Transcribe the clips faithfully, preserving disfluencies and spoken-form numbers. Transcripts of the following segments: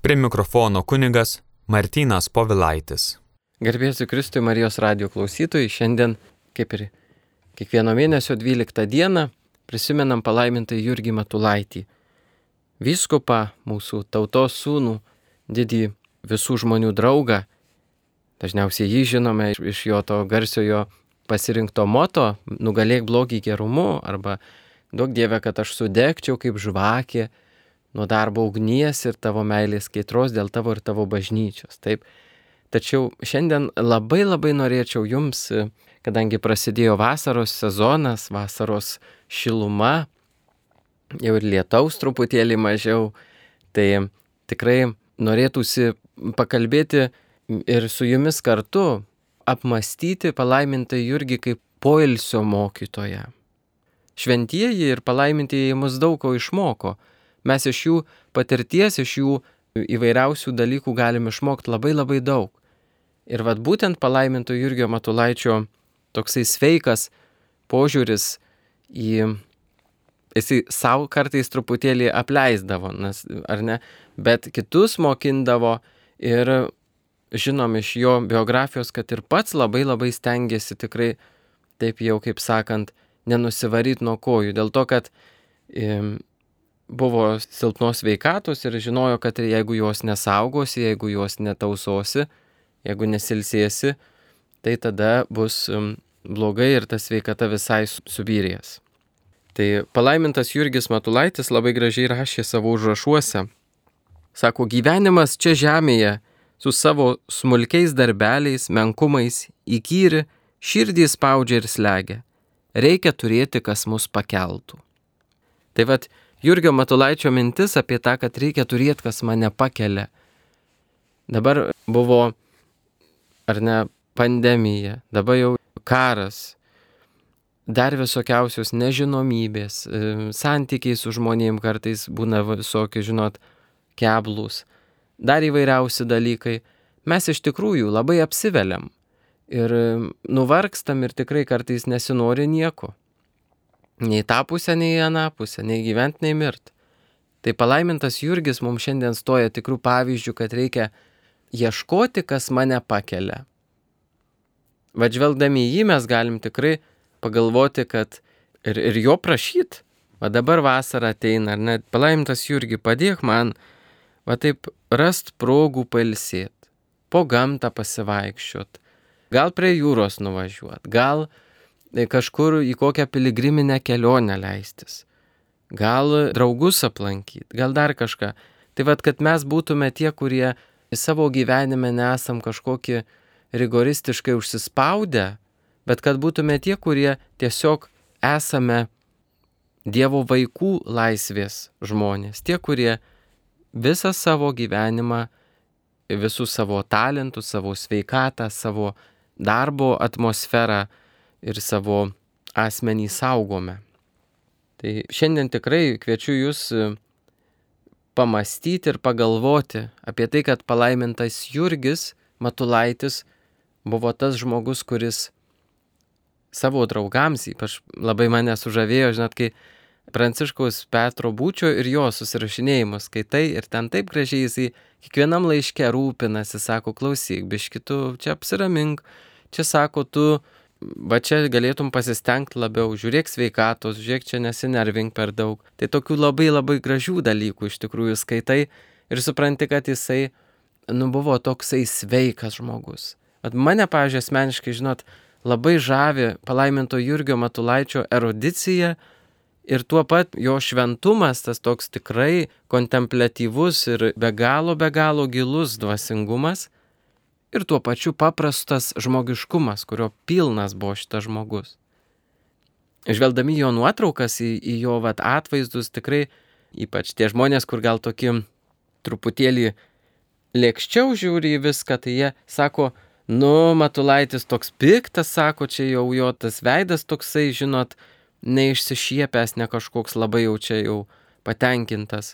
Prie mikrofono kunigas Martynas Povilaitis. Garbėsiu Kristui Marijos radijo klausytojai, šiandien, kaip ir kiekvieno mėnesio dvyliktą dieną, prisimenam palaimintą Jurgį Matulaitį, vyskupą, mūsų tautos sūnų, didį visų žmonių draugą. Dažniausiai jį žinome iš jo to garsiojo pasirinkto moto nugalėk blogį gerumu, arba duok Dieve, kad aš sudegčiau kaip žvakė nuo darbo ugnies ir tavo meilės kaitros dėl tavo ir tavo bažnyčios. Taip. Tačiau šiandien labai labai norėčiau jums, kadangi prasidėjo vasaros sezonas, vasaros šiluma, jau ir lietaus truputėlį mažiau, tai tikrai norėtųsi pakalbėti ir su jumis kartu apmąstyti palaimintą Jurgį kaip poilsio mokytoją. Šventieji ir palaimintieji mus daug ko išmoko. Mes iš jų patirties, iš jų įvairiausių dalykų galim išmokti labai labai daug. Ir vat būtent palaiminto Jurgio Matulaičio toksai sveikas požiūris į... Jisai savo kartais truputėlį apleisdavo, nes, ar ne, bet kitus mokindavo ir žinom iš jo biografijos, kad ir pats labai labai stengiasi tikrai, taip jau kaip sakant, nenusivaryti nuo kojų. Dėl to, kad e, buvo silpnos sveikatos ir žinojo, kad jeigu jos nesaugosi, jeigu jos netausosi, jeigu nesilsėsi, tai tada bus blogai ir ta sveikata visai subyrės. Tai palaimintas Jurgis Matulaitis labai gražiai rašė savo užrašuose. Sako, gyvenimas čia žemėje su savo smulkiais darbeliais, menkumais, įkyri, širdį spaudžia ir slegia. Reikia turėti, kas mus pakeltų. Tai vat Jurgio Matulaičio mintis apie tą, kad reikia turėti, kas mane pakelia. Dabar buvo, ar ne, pandemija, dabar jau karas. Dar visokiausios nežinomybės, santykiai su žmonėm kartais būna visokie, žinot, keblūs, dar įvairiausi dalykai. Mes iš tikrųjų labai apsiveliam ir nuvargstam ir tikrai kartais nesinori nieko. Nei tą pusę, nei aną pusę, nei gyvent, nei mirt. Tai palaimintas Jurgis mums šiandien stoja tikrų pavyzdžių, kad reikia ieškoti, kas mane pakelia. Vadžvelgdami į jį mes galim tikrai pagalvoti, kad ir, ir jo prašyt, va dabar vasara ateina, ar net palaimintas Jurgi, padėk man, va taip rast progų pailsėt, po gamtą pasivaikščiot, gal prie jūros nuvažiuot, gal kažkur į kokią piligriminę kelionę leistis, gal draugus aplankyt, gal dar kažką. Tai va, kad mes būtume tie, kurie į savo gyvenime nesam kažkokį rigoristiškai užsispaudę, bet kad būtume tie, kurie tiesiog esame Dievo vaikų laisvės žmonės. Tie, kurie visą savo gyvenimą, visus savo talentus, savo sveikatą, savo darbo atmosferą ir savo asmenį saugome. Tai šiandien tikrai kviečiu jūs pamastyti ir pagalvoti apie tai, kad palaimintas Jurgis Matulaitis buvo tas žmogus, kuris savo draugams, ypač labai mane sužavėjo, žinot, kai Pranciškaus Petro Būčio ir jo susirašinėjimus skaitai ir ten taip gražiai jisai kiekvienam laiške rūpinasi, sako, klausyk, biški tu čia apsiramink, čia sako, tu va čia galėtum pasistengti labiau, žiūrėk sveikatos, žiūrėk čia nesinervink per daug. Tai tokių labai labai gražių dalykų iš tikrųjų skaitai ir supranti, kad jisai, nu, buvo toksai sveikas žmogus. At mane, pavyzdžiui, asmeniškai, žinot, labai žavi palaiminto Jurgio Matulaičio erudicija ir tuo pat jo šventumas, tas toks tikrai kontempliatyvus ir be galo, be galo gilus dvasingumas ir tuo pačiu paprastas žmogiškumas, kurio pilnas buvo šitas žmogus. Žvelgdami jo nuotraukas, į, į jo vat, atvaizdus, tikrai ypač tie žmonės, kur gal tokį truputėlį lėkščiau žiūri į viską, tai jie sako, nu, Matulaitis toks piktas, sako, čia jau jo tas veidas toksai, žinot, neišsišiepęs, ne kažkoks labai jau čia jau patenkintas.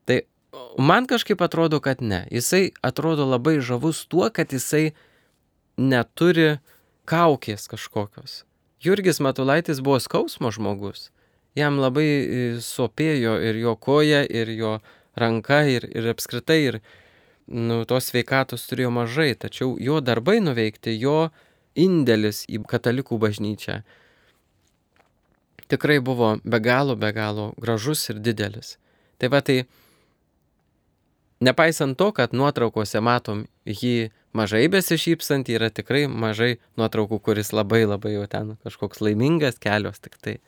Tai man kažkaip atrodo, kad ne. Jisai atrodo labai žavus tuo, kad jisai neturi kaukės kažkokios. Jurgis Matulaitis buvo skausmo žmogus. Jam labai sopėjo ir jo koja, ir jo ranka ir, ir apskritai ir nu, tos sveikatos turėjo mažai, tačiau jo darbai nuveikti, jo indėlis į katalikų bažnyčią tikrai buvo be galo, be galo gražus ir didelis. Tai va tai, nepaisant to, kad nuotraukose matom jį mažai besišypsantį, yra tikrai mažai nuotraukų, kuris labai labai jau ten kažkoks laimingas, kelios tik tai.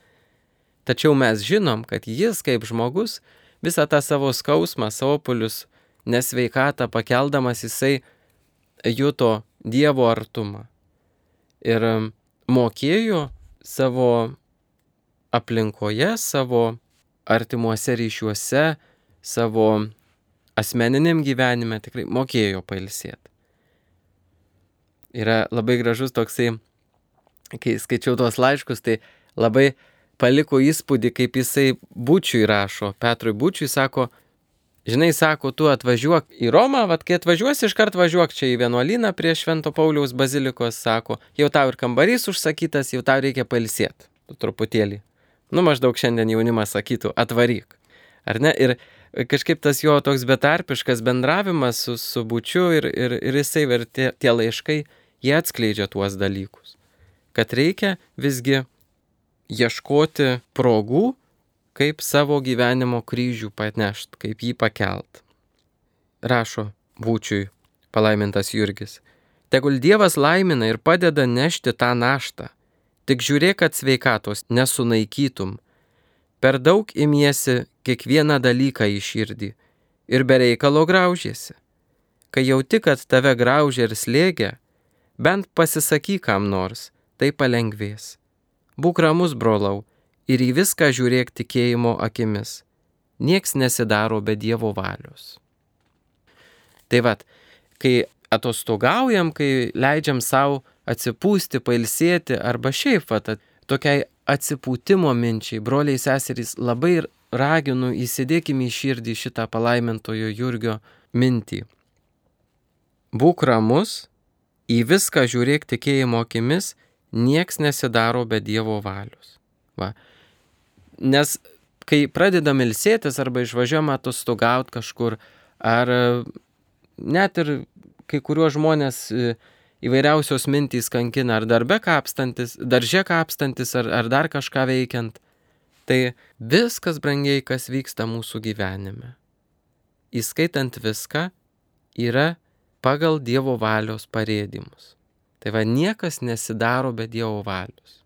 Tačiau mes žinom, kad jis kaip žmogus visą tą savo skausmą, sopulius, nesveikatą pakeldamas, jisai juto Dievo artumą. Ir mokėjo savo aplinkoje, savo artimuose ryšiuose, savo asmeniniam gyvenime tikrai mokėjo pailsėti. Yra labai gražus toksai, kai skaičiau tuos laiškus, tai labai paliko įspūdį, kaip jisai Bučiui rašo. Petrui Bučiui sako, žinai, sako, tu atvažiuok į Romą, vat kai atvažiuosi, iškart važiuok čia į vienuolyną prie Švento Pauliaus bazilikos, sako, jau tau ir kambarys užsakytas, jau tau reikia pailsėti truputėlį. Nu, maždaug šiandien jaunimas sakytų, atvaryk. Ar ne? Ir kažkaip tas jo toks betarpiškas bendravimas su, su Bučiu ir, ir, ir jisai ir tie, tie laiškai, jie atskleidžia tuos dalykus. Kad reikia visgi ieškoti progų, kaip savo gyvenimo kryžių panešt, kaip jį pakelt. Rašo Bučiui palaimintas Jurgis. Tegul Dievas laimina ir padeda nešti tą naštą. Tik žiūrėk, kad sveikatos nesunaikytum. Per daug imiesi kiekvieną dalyką į širdį ir be reikalo graužiesi. Kai jauti, kad tave graužia ir slėgia, bent pasisakyk kam nors, tai palengvės. Būk ramus, brolau, ir į viską žiūrėk tikėjimo akimis. Nieks nesidaro be Dievo valios. Tai vat, kai atostogaujam, kai leidžiam savo atsipūsti, pailsėti, arba šiaip vat, tokiai atsipūtimo minčiai, broliai seserys, labai raginu, įsidėkime į širdį šitą palaimintojo Jurgio mintį. Būk ramus, į viską žiūrėk tikėjimo akimis, nieks nesidaro be Dievo valios. Va. Nes kai pradedam ilsėtis arba išvažiuojam atostogauti kažkur, ar net ir kai kuriuos žmonės įvairiausios mintys kankina, ar darbe kapstantis, darže kapstantis, ar, ar dar kažką veikiant, tai viskas, brangiai, kas vyksta mūsų gyvenime, įskaitant viską, yra pagal Dievo valios parėdimus. Tai va, niekas nesidaro be Dievo valios.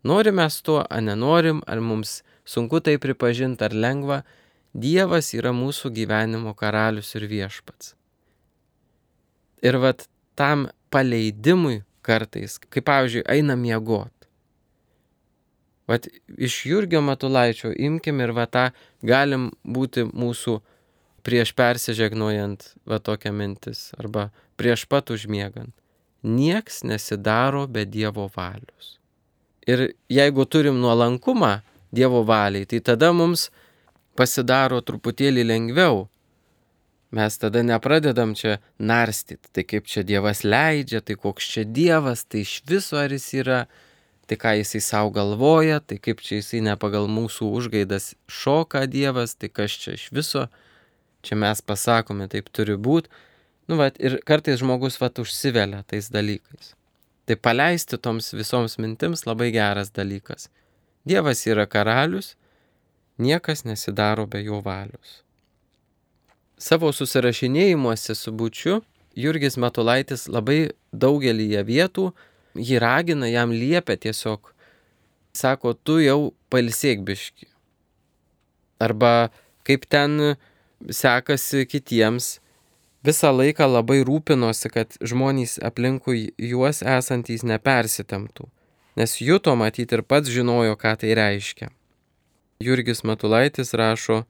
Norim mes to, ar nenorim, ar mums sunku tai pripažinti, ar lengva, Dievas yra mūsų gyvenimo karalius ir viešpats. Ir vat tam paleidimui kartais, kaip pavyzdžiui, einam miegot. Vat iš Jurgio Matulaičio imkim ir va tą galim būti mūsų prieš persižegnojant va tokia mintis, arba prieš pat užmiegant. Nieks nesidaro be Dievo valios. Ir jeigu turim nuolankumą Dievo valiai, tai tada mums pasidaro truputėlį lengviau. Mes tada nepradedam čia narstyti, tai kaip čia Dievas leidžia, tai koks čia Dievas, tai iš viso ar jis yra, tai ką jisai savo galvoja, tai kaip čia jisai ne pagal mūsų užgaidas šoka Dievas, tai kas čia iš viso, čia mes pasakome, taip turi būti. Nu, vat, ir kartais žmogus vat užsivelia tais dalykais. Tai paleisti toms visoms mintims labai geras dalykas. Dievas yra karalius, niekas nesidaro be jo valios. Savo susirašinėjimuose su Bučiu Jurgis Matulaitis labai daugelyje vietų jį ragina, jam liepia tiesiog, sako, tu jau pailsėk biškį. Arba kaip ten sekasi kitiems, visą laiką labai rūpinosi, kad žmonės aplinkui juos esantys nepersitemptų, nes juto matyti ir pats žinojo, ką tai reiškia. Jurgis Matulaitis rašo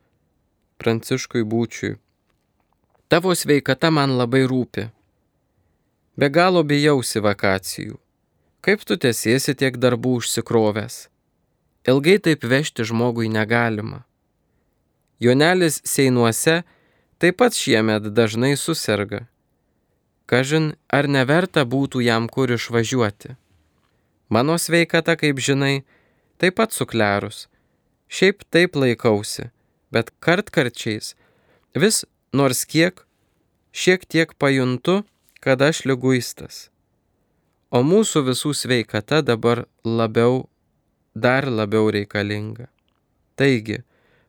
Pranciškui Bučiui. Tavo sveikata man labai rūpi. Be galo bijausi vakacijų. Kaip tu tęsiesi tiek darbų užsikrovęs? Ilgai taip vežti žmogui negalima. Jonelis Seinuose taip pat šiemet dažnai suserga. Kažin, ar neverta būtų jam kur išvažiuoti. Mano sveikata, kaip žinai, taip pat suklerus. Šiaip taip laikausi, bet kartkarčiais Vis nors kiek, šiek tiek pajuntu, kad aš liguistas. O mūsų visų sveikata dabar labiau, dar labiau reikalinga. Taigi,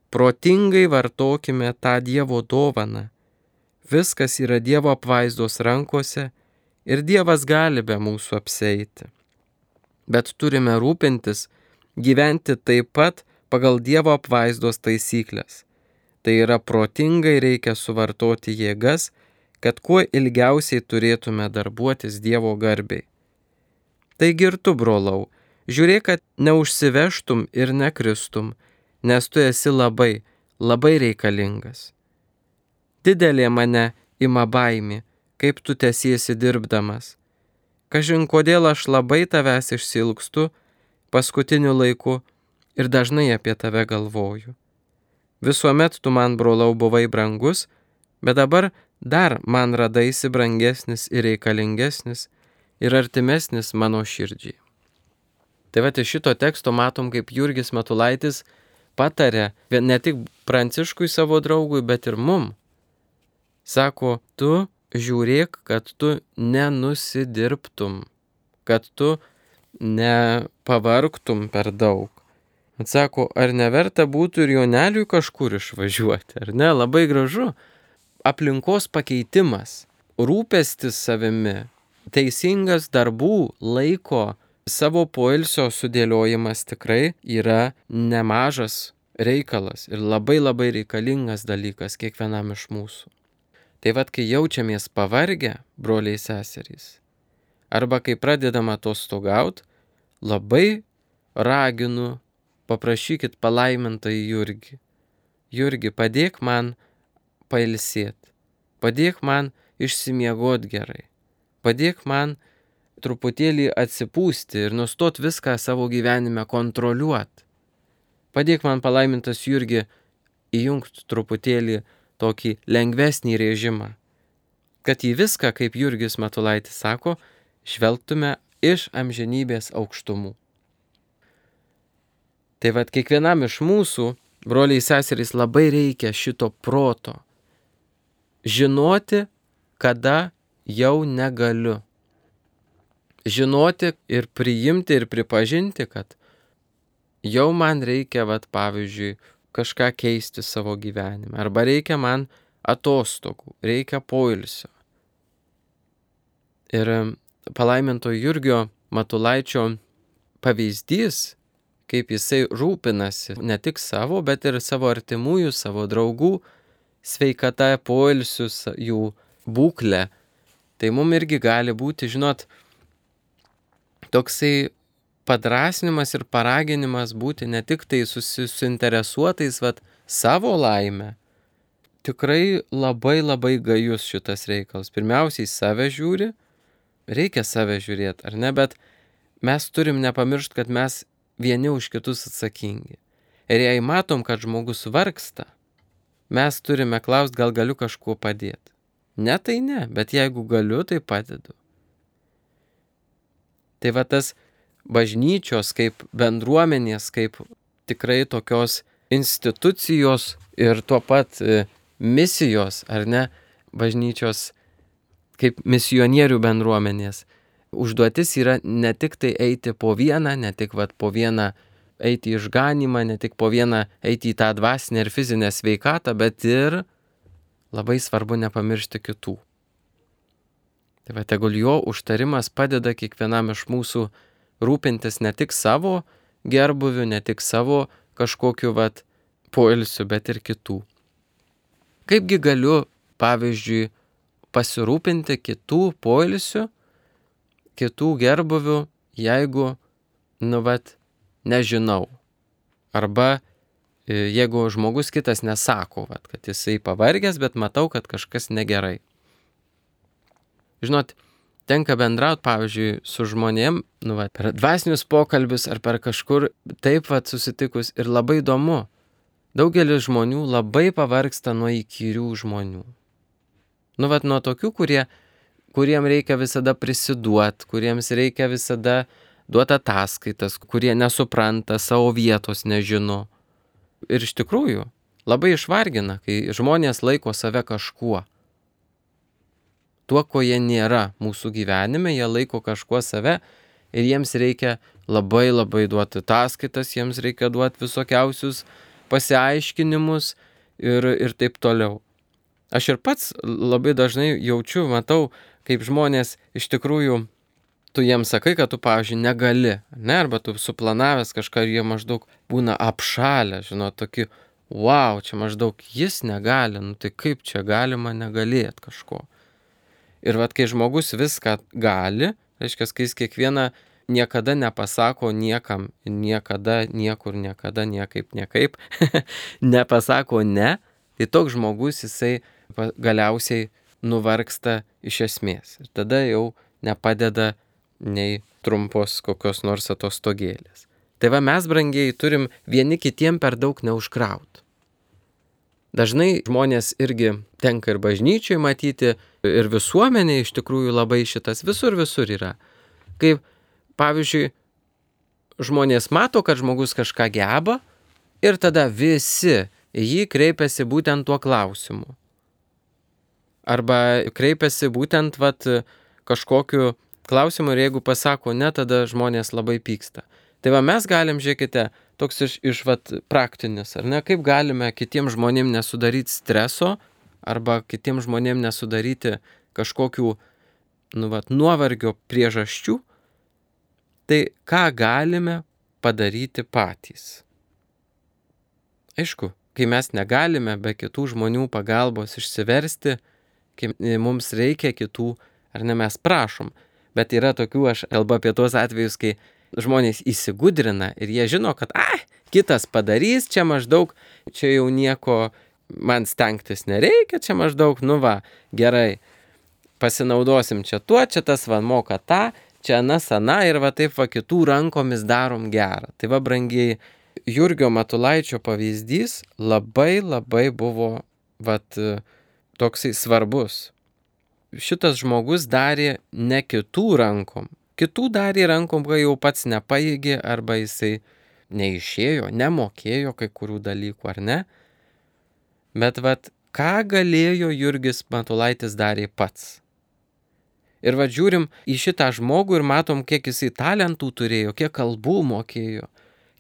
protingai vartokime tą Dievo dovaną. Viskas yra Dievo apvaizdos rankose ir Dievas gali be mūsų apseiti. Bet turime rūpintis, gyventi taip pat pagal Dievo apvaizdos taisyklės. Tai yra protingai reikia suvartoti jėgas, kad kuo ilgiausiai turėtume darbuotis Dievo garbei. Taigi ir tu, brolau, žiūrėk, kad neužsivežtum ir nekristum, nes tu esi labai, labai reikalingas. Didelė mane ima baimė, kaip tu tęsiesi dirbdamas. Kažin kodėl aš labai tavęs išsilgstu paskutiniu laiku ir dažnai apie tave galvoju. Visuomet tu man, brolau, buvai brangus, bet dabar dar man radaisi brangesnis ir reikalingesnis ir artimesnis mano širdžiai. Tai va, iš šito teksto matom, kaip Jurgis Matulaitis patarė ne tik Pranciškui savo draugui, bet ir mum. Sako, tu žiūrėk, kad tu nenusidirbtum, kad tu nepavargtum per daug. Atsako, ar neverta būtų ir Joneliui kažkur išvažiuoti, ar ne? Labai gražu. Aplinkos pakeitimas, rūpestis savimi, teisingas darbų, laiko, savo poilsio sudėliojimas tikrai yra nemažas reikalas ir labai labai reikalingas dalykas kiekvienam iš mūsų. Tai vad, kai jaučiamės pavargę, broliai seserys, arba kai pradedam atostogaut, labai raginu, paprašykit palaimintąjį Jurgį. Jurgi, padėk man pailsėti, padėk man išsimiegot gerai, padėk man truputėlį atsipūsti ir nustot viską savo gyvenime kontroliuoti. Padėk man, palaimintas Jurgi, įjungti truputėlį tokį lengvesnį režimą, kad į viską, kaip Jurgis Matulaitis sako, žvelgtume iš amžinybės aukštumų. Tai vad, kiekvienam iš mūsų, broliai seserys, labai reikia šito proto. Žinoti, kada jau negaliu. Žinoti ir priimti ir pripažinti, kad jau man reikia, vat, pavyzdžiui, kažką keisti savo gyvenime. Arba reikia man atostogų, reikia poilsio. Ir palaiminto Jurgio Matulaičio pavyzdys, kaip jisai rūpinasi ne tik savo, bet ir savo artimųjų, savo draugų sveikata, poilsius, jų būklę. Tai mums irgi gali būti, žinot, toksai padrasnimas ir paraginimas būti ne tik tai susinteresuotais vat, savo laimę. Tikrai labai labai gajus šitas reikalas. Pirmiausiai save žiūri, reikia save žiūrėti, ar ne, bet mes turim nepamiršti, kad mes vieni už kitus atsakingi. Ir jei matom, kad žmogus vargsta, mes turime klausti, gal galiu kažkuo padėti. Ne, tai ne, bet jeigu galiu, tai padedu. Tai va tas bažnyčios kaip bendruomenės, kaip tikrai tokios institucijos ir tuo pat misijos, ar ne, bažnyčios kaip misionierių bendruomenės. Užduotis yra ne tik tai eiti po vieną, ne tik vat, po vieną eiti į išganymą, ne tik po vieną eiti į tą dvasinę ir fizinę sveikatą, bet ir labai svarbu nepamiršti kitų. Tai va, tegul jo užtarimas padeda kiekvienam iš mūsų rūpintis ne tik savo gerbuviu, ne tik savo kažkokiu vat, poilsiu, bet ir kitų. Kaipgi galiu, pavyzdžiui, pasirūpinti kitų poilsiu, kitų gerbuviu, jeigu, nu vat, nežinau. Arba jeigu žmogus kitas nesako, vat, kad jisai pavargęs, bet matau, kad kažkas negerai. Žinot, tenka bendrauti, pavyzdžiui, su žmonėm, nu, vat, per dvasinius pokalbius ar per kažkur taip vat, susitikus ir labai įdomu. Daugelis žmonių labai pavargsta nuo įkyrių žmonių. Nu, vat, nuo tokių, kurie, kuriem reikia visada prisiduoti, kuriems reikia visada duoti ataskaitas, kurie nesupranta, savo vietos nežino. Ir iš tikrųjų, labai išvargina, kai žmonės laiko save kažkuo. Tuo, ko jie nėra mūsų gyvenime, jie laiko kažkuo save ir jiems reikia labai labai duoti ataskaitas, jiems reikia duoti visokiausius pasiaiškinimus ir, ir taip toliau. Aš ir pats labai dažnai jaučiu, matau, kaip žmonės iš tikrųjų, tu jiems sakai, kad tu, pavyzdžiui, negali, ne, arba tu suplanavęs kažką ir jie maždaug būna apšalę, žinot, tokį, wow, čia maždaug jis negali, nu tai kaip čia galima negalėt kažko. Ir vat, kai žmogus viską gali, reiškia, kai jis kiekvieną niekada nepasako niekam, niekada, niekur, niekada, niekaip, niekaip, nepasako ne, tai toks žmogus jisai galiausiai nuvargsta iš esmės. Ir tada jau nepadeda nei trumpos kokios nors atostogėlės. Tai va mes, brangieji, turim vieni kitiem per daug neužkraut. Dažnai žmonės irgi tenka ir bažnyčiai matyti, ir visuomenė iš tikrųjų labai šitas visur visur yra. Kaip, pavyzdžiui, žmonės mato, kad žmogus kažką geba ir tada visi jį kreipiasi būtent tuo klausimu. Arba kreipiasi būtent vat, kažkokiu klausimu ir jeigu pasako ne, tada žmonės labai pyksta. Tai va mes galim, žiūrėkite, toks iš, iš vat, praktinis, ar ne, kaip galime kitiem žmonėm nesudaryti streso arba kitiem žmonėm nesudaryti kažkokių nu, vat, nuovargio priežasčių, tai ką galime padaryti patys. Aišku, kai mes negalime be kitų žmonių pagalbos išsiversti, kai mums reikia kitų, ar ne mes prašom, bet yra tokių, aš kalbu apie tuos atvejus, kai žmonės įsigudrina ir jie žino, kad ai, kitas padarys, čia maždaug, čia jau nieko man stengtis nereikia, čia maždaug, nu va, gerai, pasinaudosim čia tuo, čia tas va moka tą, čia anas ana ir va taip va kitų rankomis darom gerą. Tai va, brangiai, Jurgio Matulaičio pavyzdys labai labai buvo vat, toksai svarbus. Šitas žmogus darė ne kitų rankom. Kitų darė rankom, kai jau pats nepaėgė arba jisai neišėjo, nemokėjo kai kurių dalykų, ar ne? Bet vat, ką galėjo Jurgis Matulaitis darė pats? Ir vat žiūrim į šitą žmogų ir matom, kiek jisai talentų turėjo, kiek kalbų mokėjo,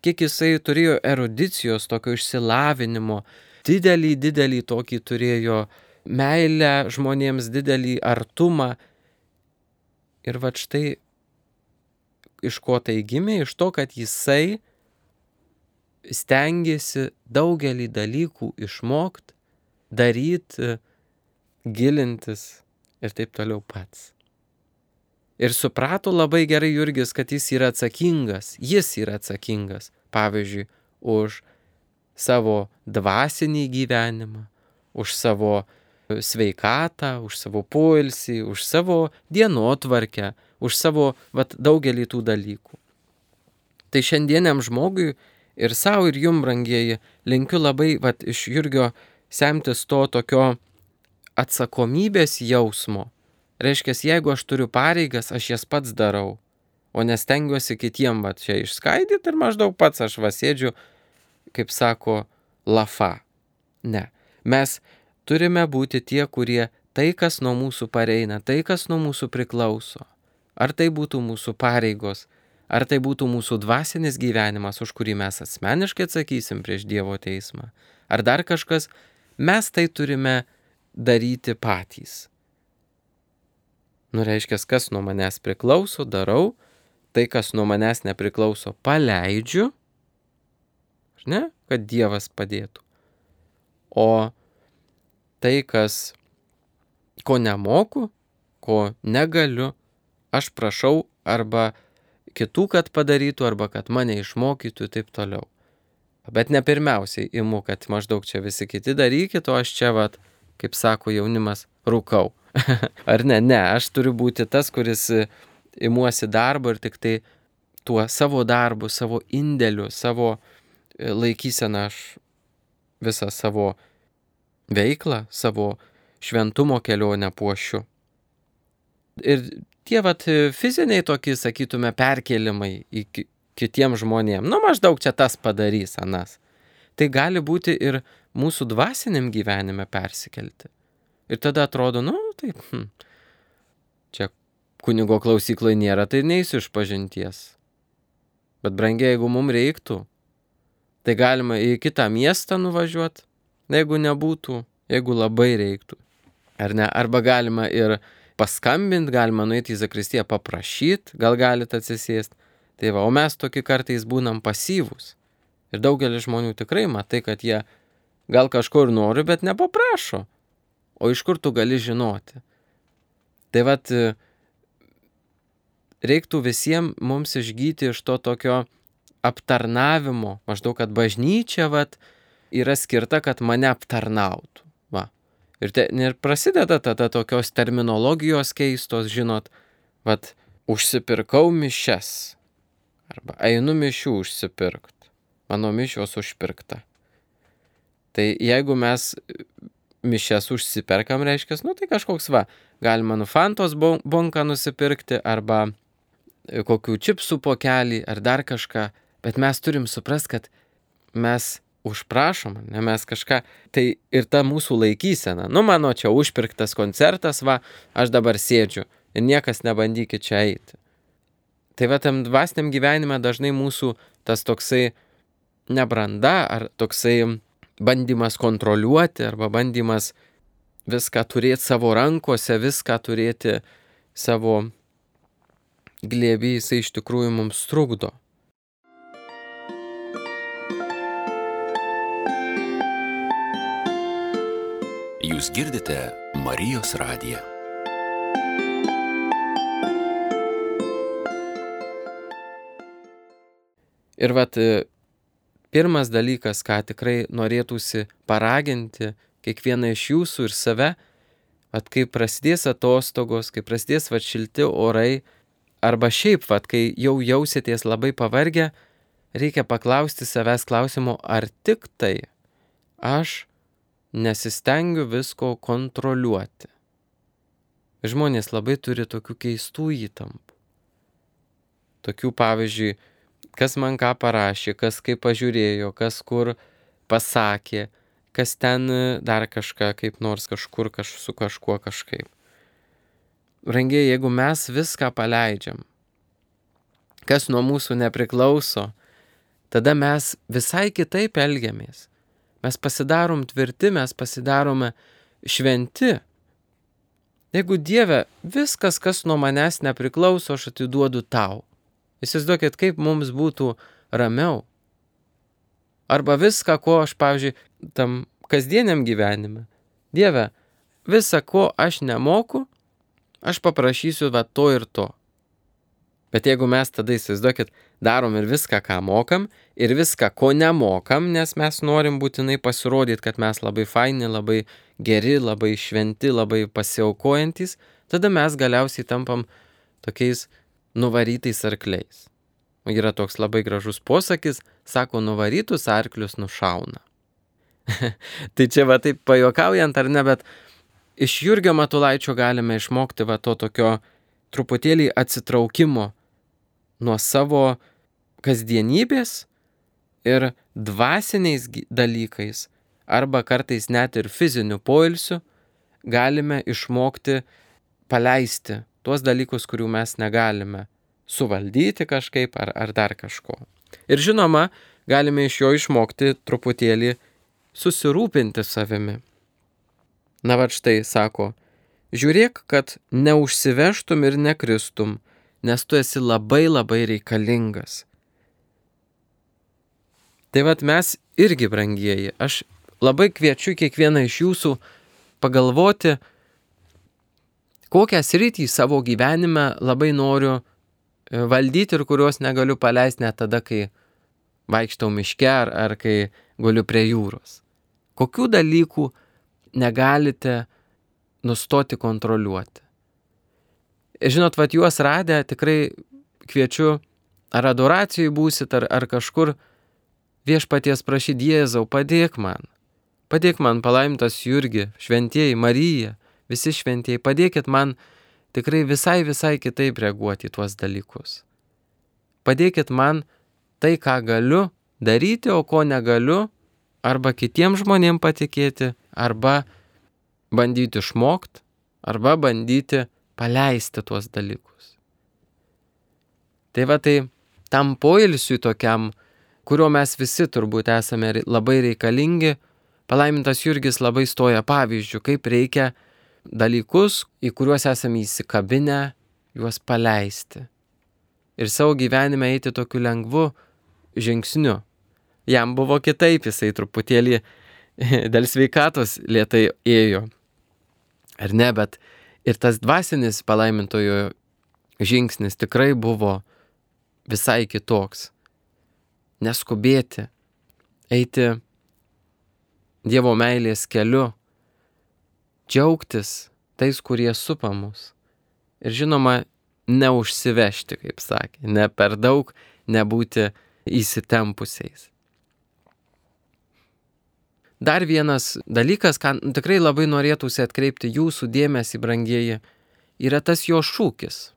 kiek jisai turėjo erudicijos, tokio išsilavinimo, didelį, didelį tokį turėjo meilę žmonėms, didelį artumą. Ir vat štai iš ko tai gimė, iš to, kad jisai stengėsi daugelį dalykų išmokti, daryti, gilintis ir taip toliau pats. Ir suprato labai gerai Jurgis, kad jis yra atsakingas, jis yra atsakingas, pavyzdžiui, už savo dvasinį gyvenimą, už savo sveikatą, už savo poilsį, už savo dienotvarkę, už savo vat, daugelį tų dalykų. Tai šiandieniam žmogui ir savo ir jum, brangieji, linkiu labai vat, iš Jurgio semtis to tokio atsakomybės jausmo. Reiškia, jeigu aš turiu pareigas, aš jas pats darau, o nestengiuosi kitiem vat, čia išskaidyti ir maždaug pats aš va sėdžiu, kaip sako, lafa. Ne. Mes turime būti tie, kurie tai, kas nuo mūsų pareina, tai, kas nuo mūsų priklauso. Ar tai būtų mūsų pareigos, ar tai būtų mūsų dvasinis gyvenimas, už kurį mes asmeniškai atsakysim prieš Dievo teismą, ar dar kažkas, mes tai turime daryti patys. Nu, reiškia, kas nuo manęs priklauso, darau, tai, kas nuo manęs nepriklauso, paleidžiu, ne, kad Dievas padėtų. O tai, kas, ko nemoku, ko negaliu, aš prašau arba kitų, kad padarytų, arba kad mane išmokytų ir taip toliau. Bet ne pirmiausiai imu, kad maždaug čia visi kiti darykit, o aš čia, vat, kaip sako jaunimas, rūkau. Ar ne? Ne, aš turiu būti tas, kuris imuosi darbo ir tik tai tuo savo darbu, savo indėliu, savo laikyseną aš visą savo veiklą, savo šventumo kelionę puošiu. Ir tie vat fiziniai tokie, sakytume, perkėlimai į kitiem žmonėm, nu maždaug čia tas padarys, anas. Tai gali būti ir mūsų dvasiniam gyvenime persikelti. Ir tada atrodo, nu, taip, hm, čia kunigo klausykloje nėra, tai neįsiu iš pažinties. Bet brangiai, jeigu mums reiktų, tai galima į kitą miestą nuvažiuoti, jeigu nebūtų, jeigu labai reiktų. Ar ne? Arba galima ir paskambinti, galima nueiti į zakristiją paprašyti, gal galite atsisėsti. Tai va, o mes tokie kartais būnam pasyvūs. Ir daugelis žmonių tikrai matai, kad jie gal kažkur nori, bet nepaprašo. O iš kur tu gali žinoti? Tai vat, reiktų visiems mums išgyti iš to tokio aptarnavimo, maždaug, kad bažnyčia vat, yra skirta, kad mane aptarnautų. Va. Ir, te, ir prasideda tada tokios terminologijos keistos, žinot, vat, užsipirkau mišias. Arba einu mišių užsipirkt. Mano mišios užpirkta. Tai jeigu mes mišias užsiperkam, reiškia, nu tai kažkoks va, galima nu Fantos bonką nusipirkti, arba kokių čipsų pokelį, ar dar kažką, bet mes turim suprast, kad mes užprašom, ne mes kažką, tai ir ta mūsų laikysena, nu mano čia užpirktas koncertas, va, aš dabar sėdžiu ir niekas nebandykit čia eiti. Tai va, tam dvasiniam gyvenime dažnai mūsų tas toksai nebranda, ar toksai bandymas kontroliuoti, arba bandymas viską turėti savo rankose, viską turėti savo glėby, jisai iš tikrųjų mums trukdo. Jūs girdite Marijos radiją. Ir vat, pirmas dalykas, ką tikrai norėtųsi paraginti kiekvieną iš jūsų ir save, vat, kai prasidės atostogos, kai prasidės vat, šilti orai, arba šiaip, vat, kai jau jausitės labai pavargę, reikia paklausti savęs klausimo, ar tik tai aš nesistengiu visko kontroliuoti. Žmonės labai turi tokių keistų įtampų. Tokių, pavyzdžiui, kas man ką parašė, kas kaip pažiūrėjo, kas kur pasakė, kas ten dar kažką, kaip nors kažkur kaž, su kažkuo kažkaip. Brangiai, jeigu mes viską paleidžiam, kas nuo mūsų nepriklauso, tada mes visai kitaip elgiamės. Mes pasidarom tvirti, mes pasidarome šventi. Jeigu Dieve, viskas, kas nuo manęs nepriklauso, aš atiduodu tau. Įsivaizduokit, kaip mums būtų ramiau. Arba viską, ko aš, pavyzdžiui, tam kasdieniam gyvenime. Dieve, visą, ko aš nemoku, aš paprašysiu va to ir to. Bet jeigu mes tada, įsivaizduokit, darom ir viską, ką mokam, ir viską, ko nemokam, nes mes norim būtinai pasirodyti, kad mes labai faini, labai geri, labai šventi, labai pasiaukojantis, tada mes galiausiai tampam tokiais nuvarytais arkliais. Yra toks labai gražus posakis, sako, nuvarytus arklius nušauna. Tai čia va taip pajuokaujant ar ne, bet iš Jurgio Matulaičio galime išmokti va to tokio truputėlį atsitraukimo nuo savo kasdienybės ir dvasiniais dalykais, arba kartais net ir fiziniu poilsiu, galime išmokti paleisti tuos dalykus, kurių mes negalime suvaldyti kažkaip ar, ar dar kažko. Ir žinoma, galime iš jo išmokti truputėlį susirūpinti savimi. Na va štai, sako, žiūrėk, kad neužsivežtum ir nekristum, nes tu esi labai labai reikalingas. Tai vat mes irgi, brangieji, aš labai kviečiu kiekvieną iš jūsų pagalvoti, kokią sritį savo gyvenime labai noriu valdyti ir kurios negaliu paleisti net tada, kai vaikštau miške ar, ar kai guliu prie jūros. Kokių dalykų negalite nustoti kontroliuoti. Ir žinot, vat juos radę tikrai kviečiu, ar adoracijai būsit, ar, ar kažkur viešpaties prašyti, Jėzau, padėk man. Padėk man, palaimintas Jurgi, šventieji, Marija, visi šventieji, padėkit man tikrai visai, visai kitaip reaguoti į tuos dalykus. Padėkit man tai, ką galiu daryti, o ko negaliu, arba kitiems žmonėms patikėti, arba bandyti išmokti, arba bandyti paleisti tuos dalykus. Tai va tai tam poilsiui tokiam, kurio mes visi turbūt esame labai reikalingi, palaimintas Jurgis labai stoja pavyzdžių, kaip reikia dalykus, į kuriuos esame įsikabinę, juos paleisti. Ir savo gyvenime eiti tokiu lengvu žingsniu. Jam buvo kitaip, jisai truputėlį dėl sveikatos lėtai ėjo. Ar ne, bet ir tas dvasinis palaimintojo žingsnis tikrai buvo visai kitoks. Neskubėti, eiti Dievo meilės keliu, džiaugtis tais, kurie supa mus. Ir žinoma, neužsivežti, kaip sakė, ne per daug, nebūti įsitempusiais. Dar vienas dalykas, ką tikrai labai norėtųsi atkreipti jūsų dėmesį, brangieji, yra tas jo šūkis,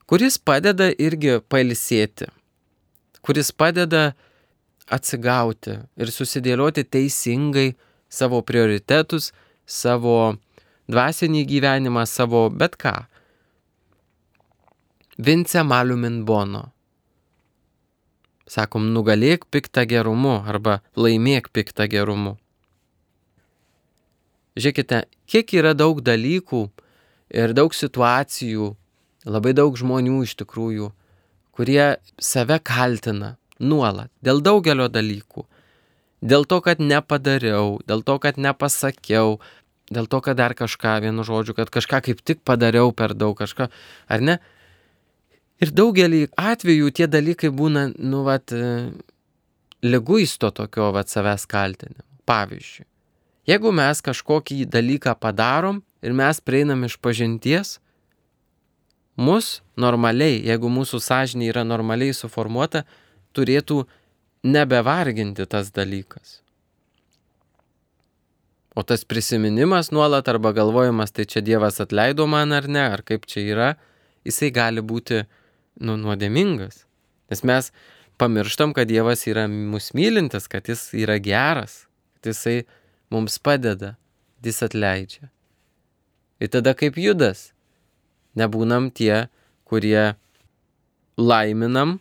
kuris padeda irgi pailsėti, kuris padeda atsigauti ir susidėlioti teisingai savo prioritetus, savo dvasinį gyvenimą, savo bet ką. Vince malum in bono. Sakom, nugalėk piktą gerumu arba laimėk piktą gerumu. Žiūrėkite, kiek yra daug dalykų ir daug situacijų, labai daug žmonių iš tikrųjų, kurie save kaltina nuolat dėl daugelio dalykų. Dėl to, kad nepadariau, dėl to, kad nepasakiau, dėl to, kad dar kažką, vienu žodžiu, kad kažką kaip tik padariau per daug kažką, ar ne? Ir daugelį atvejų tie dalykai būna, nu, vat, liguisto tokio, vat, savęs kaltinimo. Pavyzdžiui, jeigu mes kažkokį dalyką padarom ir mes prieinam iš pažinties, mus normaliai, jeigu mūsų sąžinė yra normaliai suformuota, turėtų nebevarginti tas dalykas. O tas prisiminimas nuolat arba galvojimas, tai čia Dievas atleido man ar ne, ar kaip čia yra, jisai gali būti nu, nuodėmingas. Nes mes pamirštam, kad Dievas yra mus mylintis, kad jis yra geras, kad jisai mums padeda, jis atleidžia. Ir tada kaip Judas, nebūnam tie, kurie laiminam,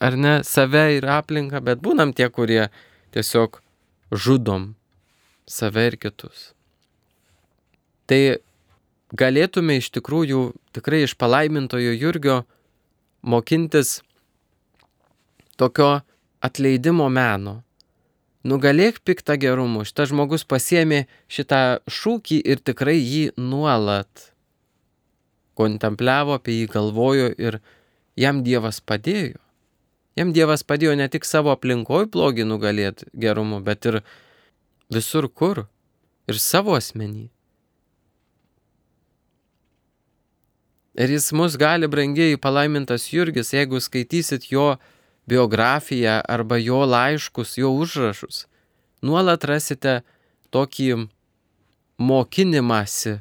ar ne, save ir aplinką, bet būnam tie, kurie tiesiog žudom save ir kitus. Tai galėtume iš tikrųjų tikrai iš palaimintojo Jurgio mokintis tokio atleidimo meno. Nugalėk piktą gerumu. Šitas žmogus pasiėmė šitą šūkį ir tikrai jį nuolat kontempliavo, apie jį galvojo ir jam Dievas padėjo. Jam Dievas padėjo ne tik savo aplinkoj blogį nugalėti gerumu, bet ir visur kur. Ir savo asmenį. Ir jis mus gali, brangieji, palaimintas Jurgis, jeigu skaitysit jo biografiją arba jo laiškus, jo užrašus, nuolat rasite tokį mokinimąsi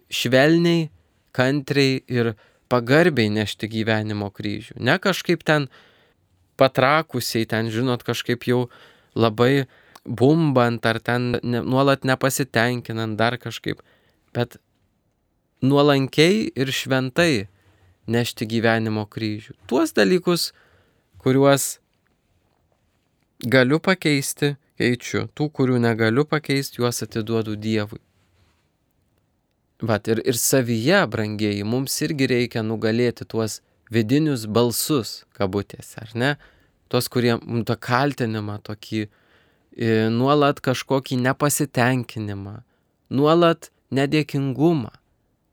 švelniai, kantriai ir pagarbiai nešti gyvenimo kryžių. Ne kažkaip ten patrakusiai, ten, žinot, kažkaip jau labai bumbant ar ten ne, nuolat nepasitenkinant dar kažkaip, bet nuolankiai ir šventai nešti gyvenimo kryžių. Tuos dalykus, kuriuos galiu pakeisti, keičiu. Tų, kurių negaliu pakeisti, juos atiduodu Dievui. Vat ir, ir savyje, brangieji, mums irgi reikia nugalėti tuos vidinius balsus, kabutėse, ar ne? Tuos, kurie tą kaltinimą, tokį e, nuolat kažkokį nepasitenkinimą, nuolat nedėkingumą.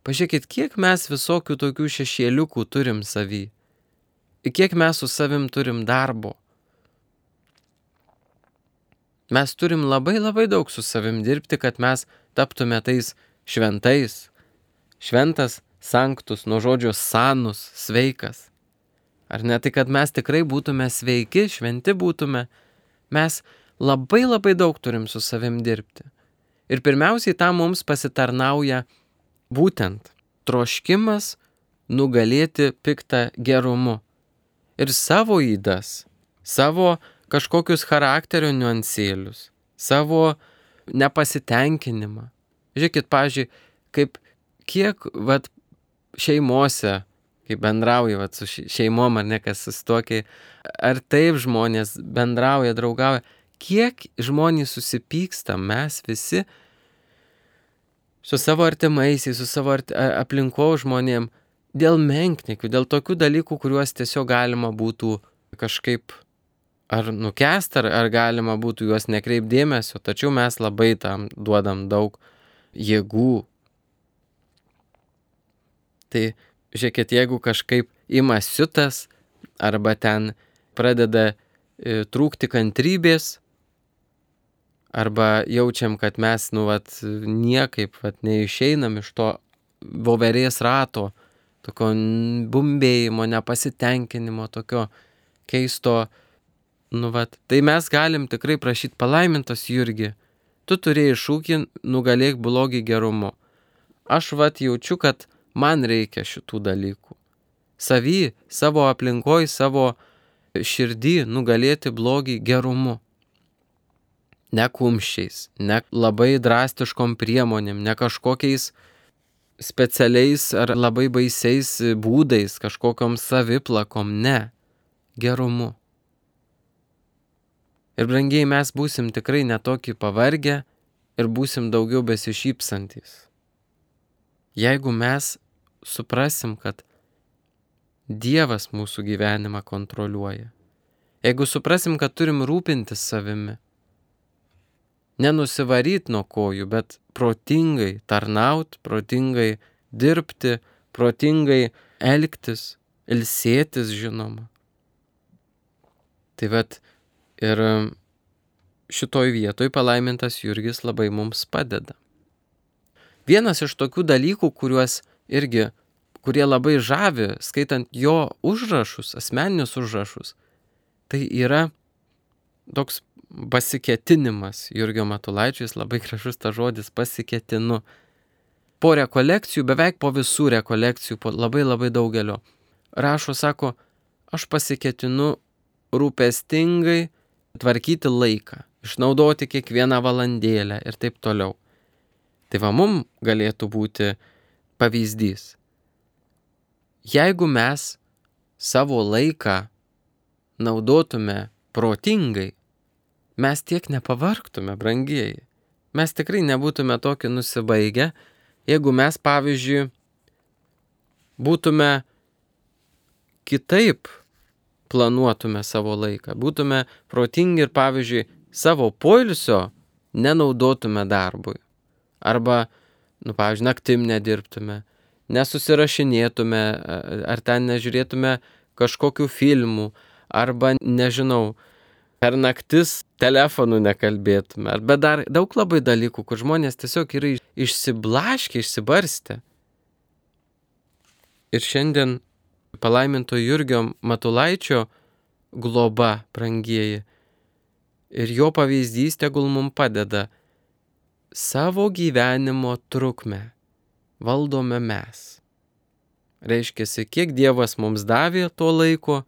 Pažiūrėkit, kiek mes visokių tokių šešėliukų turim savy. Ir kiek mes su savim turim darbo. Mes turim labai labai daug su savim dirbti, kad mes taptume tais šventais. Šventas, sanctus, nuo žodžio sanus, sveikas. Ar ne, tai kad mes tikrai būtume sveiki, šventi būtume, mes labai labai daug turim su savim dirbti. Ir pirmiausiai tam mums pasitarnauja būtent troškimas nugalėti piktą gerumu. Ir savo ydas, savo kažkokius charakterio niuansėlius, savo nepasitenkinimą. Žiūrėkit, pavyzdžiui, kaip kiek vat, šeimose, kai bendrauja vat, su šeimom ar ne, kas susituokia, ar taip žmonės bendrauja, draugauja, kiek žmonės susipyksta, mes visi su savo artimaisiais, su savo arti, aplinko žmonėm, dėl menkniekių, dėl tokių dalykų, kuriuos tiesiog galima būtų kažkaip ar nukęst, ar, ar galima būtų juos nekreip dėmesio, tačiau mes labai tam duodam daug jėgų. Tai žiūrėkit, jeigu kažkaip ima siutas, arba ten pradeda e, trūkti kantrybės, arba jaučiam, kad mes, nu, vat, niekaip vat, neišeinam iš to voverės rato, tokio bumbėjimo, nepasitenkinimo, tokio keisto, nu, vat, tai mes galim tikrai prašyti palaimintas Jurgi, tu turėjai šūkį, nugalėk blogį gerumu. Aš vat jaučiu, kad man reikia šitų dalykų. Savy, savo aplinkoj, savo širdį nugalėti blogį gerumu. Ne kumščiais, ne labai drastiškom priemonėm, ne kažkokiais specialiais ar labai baisiais būdais, kažkokiom saviplakom, ne, gerumu. Ir brangiai mes būsim tikrai netokį pavargę ir būsim daugiau besišypsantis. Jeigu mes suprasim, kad Dievas mūsų gyvenimą kontroliuoja, jeigu suprasim, kad turim rūpintis savimi, nenusivaryt nuo kojų, bet protingai tarnaut, protingai dirbti, protingai elgtis, ilsėtis, žinoma. Tai vat ir šitoj vietoj palaimintas Jurgis labai mums padeda. Vienas iš tokių dalykų, kuriuos irgi, kurie labai žavi, skaitant jo užrašus, asmeninius užrašus, tai yra toks pasiketinimas. Jurgio Matulaičio, jis labai gražus tas žodis, pasiketinu. Po rekolekcijų, beveik po visų rekolekcijų, po labai labai daugelio, rašo, sako, aš pasiketinu rūpestingai tvarkyti laiką, išnaudoti kiekvieną valandėlę ir taip toliau. Tai va, mum galėtų būti pavyzdys. Jeigu mes savo laiką naudotume protingai, mes tiek nepavargtume, brangieji. Mes tikrai nebūtume tokie nusibaigę, jeigu mes, pavyzdžiui, būtume kitaip planuotume savo laiką, būtume protingi ir, pavyzdžiui, savo poilsio nenaudotume darbui. Arba, nu, pavyzdžiui, naktim nedirbtume, nesusirašinėtume, ar ten nežiūrėtume kažkokių filmų, arba, nežinau, per naktis telefonu nekalbėtume, arba dar daug labai dalykų, kur žmonės tiesiog yra išsiblaškę, išsibarstę. Ir šiandien palaiminto Jurgio Matulaičio globa, brangieji, ir jo pavyzdys tegul mums padeda. Savo gyvenimo trukmę valdome mes. Reiškiasi, kiek Dievas mums davė to laiko,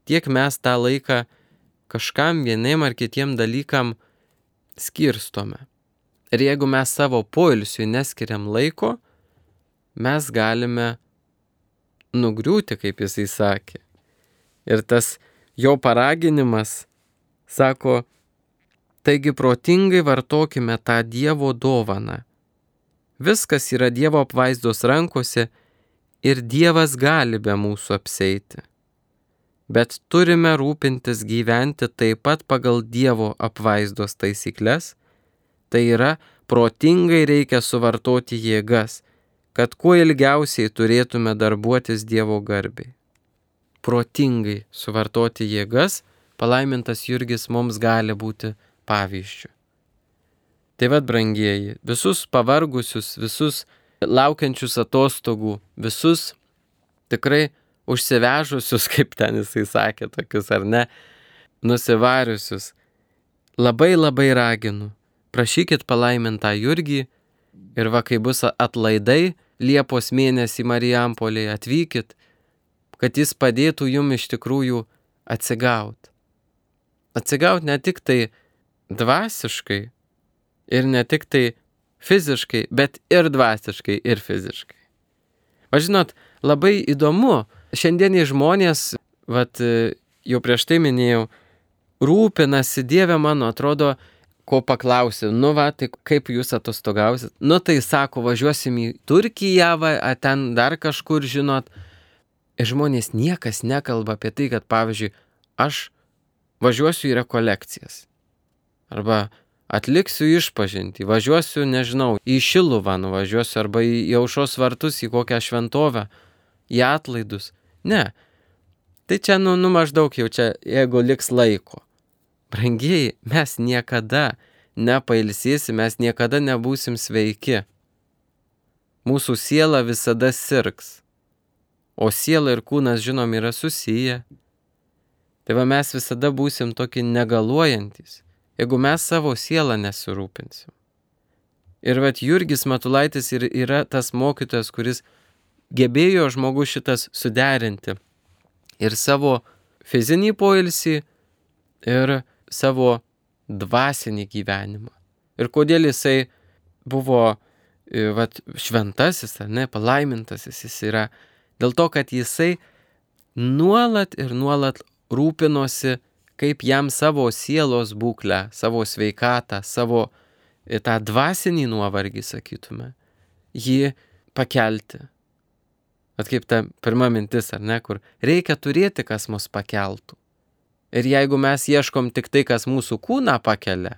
tiek mes tą laiką kažkam vieniem ar kitiem dalykam skirstome. Ir jeigu mes savo poilsiui neskiriam laiko, mes galime nugriūti, kaip jisai sakė. Ir tas jo paraginimas sako, taigi protingai vartokime tą Dievo dovaną. Viskas yra Dievo apvaizdos rankose ir Dievas gali be mūsų apseiti. Bet turime rūpintis gyventi taip pat pagal Dievo apvaizdos taisykles, tai yra protingai reikia suvartoti jėgas, kad kuo ilgiausiai turėtume darbuotis Dievo garbei. Protingai suvartoti jėgas, palaimintas Jurgis mums gali būti pavyzdžiu. Tai vad, brangieji, visus pavargusius, visus laukiančius atostogų, visus tikrai užsivežusius, kaip ten jisai sakė, tokius ar ne, nusivariusius, labai labai raginu, prašykit palaimintą Jurgį ir va, kai bus atlaidai Liepos mėnesį Marijampolėje, atvykit, kad jis padėtų jum iš tikrųjų atsigauti. atsigauti ne tik tai dvasiškai ir ne tik tai fiziškai, bet ir dvasiškai, ir fiziškai. O žinot, labai įdomu, šiandieniai žmonės, vat, jau prieš tai minėjau, rūpinasi, Dieve mano, atrodo, ko paklausi, nu va, tai kaip jūs atostogausit? Nu tai sako, važiuosim į Turkiją, va, a ten dar kažkur, žinot. Ir žmonės niekas nekalba apie tai, kad, pavyzdžiui, aš važiuosiu į rekolekcijas. Arba atliksiu išpažintį, važiuosiu, nežinau, į Šiluvą nuvažiuosiu, arba į Aušros vartus, į kokią šventovę, į atlaidus. Ne. Tai čia, nu, nu maždaug jau čia, jeigu liks laiko. Brangieji, mes niekada nepailsėsim, mes niekada nebūsim sveiki. Mūsų siela visada sirgs. O siela ir kūnas, žinom, yra susiję. Tai va mes visada būsim tokie negaluojantis, jeigu mes savo sielą nesirūpinsim. Ir vat Jurgis Matulaitis yra tas mokytojas, kuris gebėjo žmogus šitas suderinti. Ir savo fizinį poilsį, ir savo dvasinį gyvenimą. Ir kodėl jisai buvo vat, šventasis, ar ne, palaimintasis jis yra. Dėl to, kad jisai nuolat ir nuolat rūpinosi, kaip jam savo sielos būklę, savo sveikatą, savo tą dvasinį nuovargį, sakytume, jį pakelti. At kaip ta pirma mintis, ar ne, kur reikia turėti, kas mus pakeltų. Ir jeigu mes ieškom tik tai, kas mūsų kūną pakelia,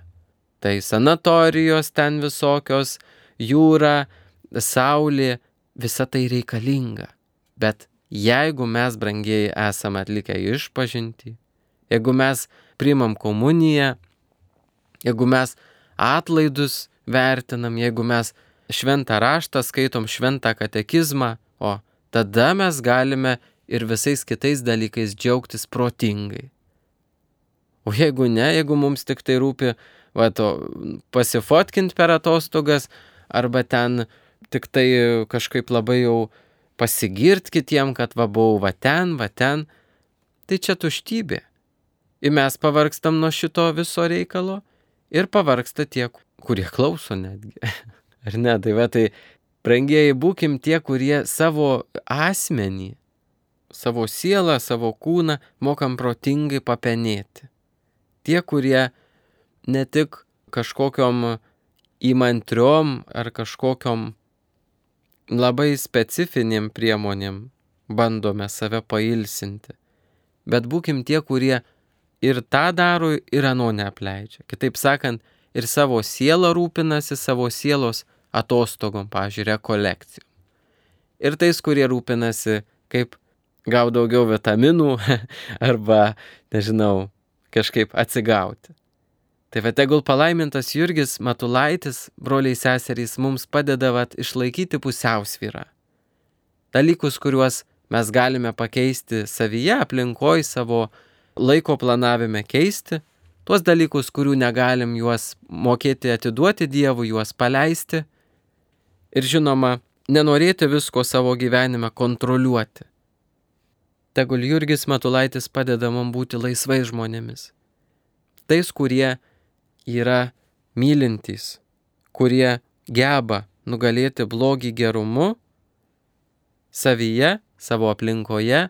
tai sanatorijos ten visokios, jūra, saulė, visa tai reikalinga. Bet jeigu mes, brangieji, esame atlikę išpažintį, jeigu mes priimam komuniją, jeigu mes atlaidus vertinam, jeigu mes šventą raštą skaitom, šventą katekizmą, o tada mes galime ir visais kitais dalykais džiaugtis protingai. O jeigu ne, jeigu mums tik tai rūpi va, to, pasifotkint per atostogas, arba ten tik tai kažkaip labai jau pasigirt kitiem, kad va buvau va ten, va ten, tai čia tuštybė. Ir mes pavargstam nuo šito viso reikalo ir pavargsta tie, kurie klauso netgi. Ar ne? Tai va, tai brangieji, būkim tie, kurie savo asmenį, savo sielą, savo kūną mokam protingai papenėti. Tie, kurie ne tik kažkokiom įmantriom ar kažkokiom labai specifinėm priemonėm bandome save pailsinti, bet būkim tie, kurie ir tą daro, ir ano neapleidžia. Kitaip sakant, ir savo sielą rūpinasi, savo sielos atostogom, pavyzdžiui, rekolekcijom. Ir tais, kurie rūpinasi, kaip gauti daugiau vitaminų arba, nežinau, kažkaip atsigauti. Tai va, tegul palaimintas Jurgis Matulaitis, broliai seserys, mums padeda vat, išlaikyti pusiausvyrą. Dalykus, kuriuos mes galime pakeisti savyje, aplinkoj, savo laiko planavime keisti, tuos dalykus, kurių negalim juos mokėti atiduoti Dievui, juos paleisti ir, žinoma, nenorėti visko savo gyvenime kontroliuoti. Tegul Jurgis Matulaitis padeda mums būti laisvai žmonėmis. Tais, kurie yra mylintys, kurie geba nugalėti blogį gerumu savyje, savo aplinkoje,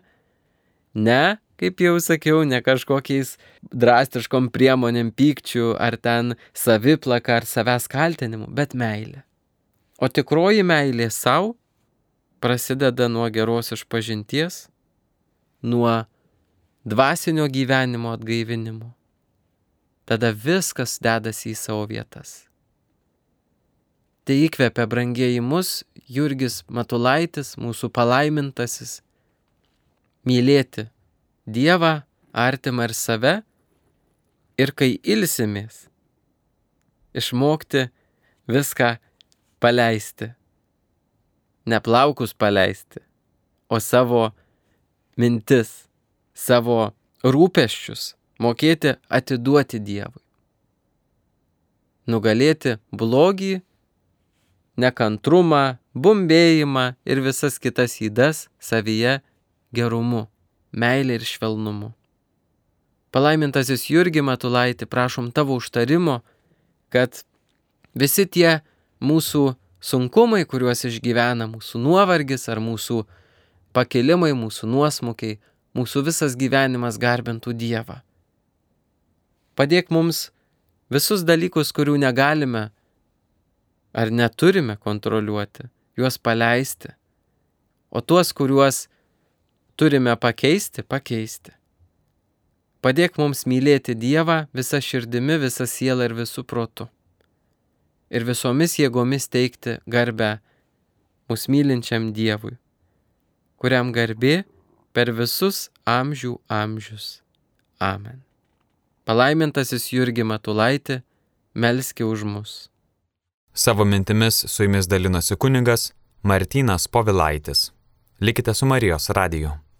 ne, kaip jau sakiau, ne kažkokiais drastiškom priemonėm, pykčių ar ten saviplaka ar savęs kaltinimu, bet meilė. O tikroji meilė savo prasideda nuo geros išpažinties, nuo dvasinio gyvenimo atgaivinimo. Tada viskas dedasi į savo vietas. Tai įkvepia, brangieji, mus Jurgis Matulaitis, mūsų palaimintasis, mylėti Dievą, artimą ir save, ir kai ilsimės, išmokti viską paleisti. Ne plaukus paleisti, o savo mintis, savo rūpesčius mokėti atiduoti Dievui. Nugalėti blogį, nekantrumą, bumbėjimą ir visas kitas ydas savyje gerumu, meilė ir švelnumu. Palaimintasis Jurgi Matulaiti, prašom tavo užtarimo, kad visi tie mūsų sunkumai, kuriuos išgyvena, mūsų nuovargis ar mūsų pakilimai, mūsų nuosmukiai, mūsų visas gyvenimas garbintų Dievą. Padėk mums visus dalykus, kurių negalime ar neturime kontroliuoti, juos paleisti, o tuos, kuriuos turime pakeisti, pakeisti. Padėk mums mylėti Dievą visą širdimi, visą sielą ir visų protu. Ir visomis jėgomis teikti garbę mus mylinčiam Dievui, kuriam garbė per visus amžių amžius. Amen. Palaimintasis Jurgi Matulaiti, melski už mus. Savo mintimis su jumis dalinosi kunigas Martynas Povilaitis. Likite su Marijos radiju.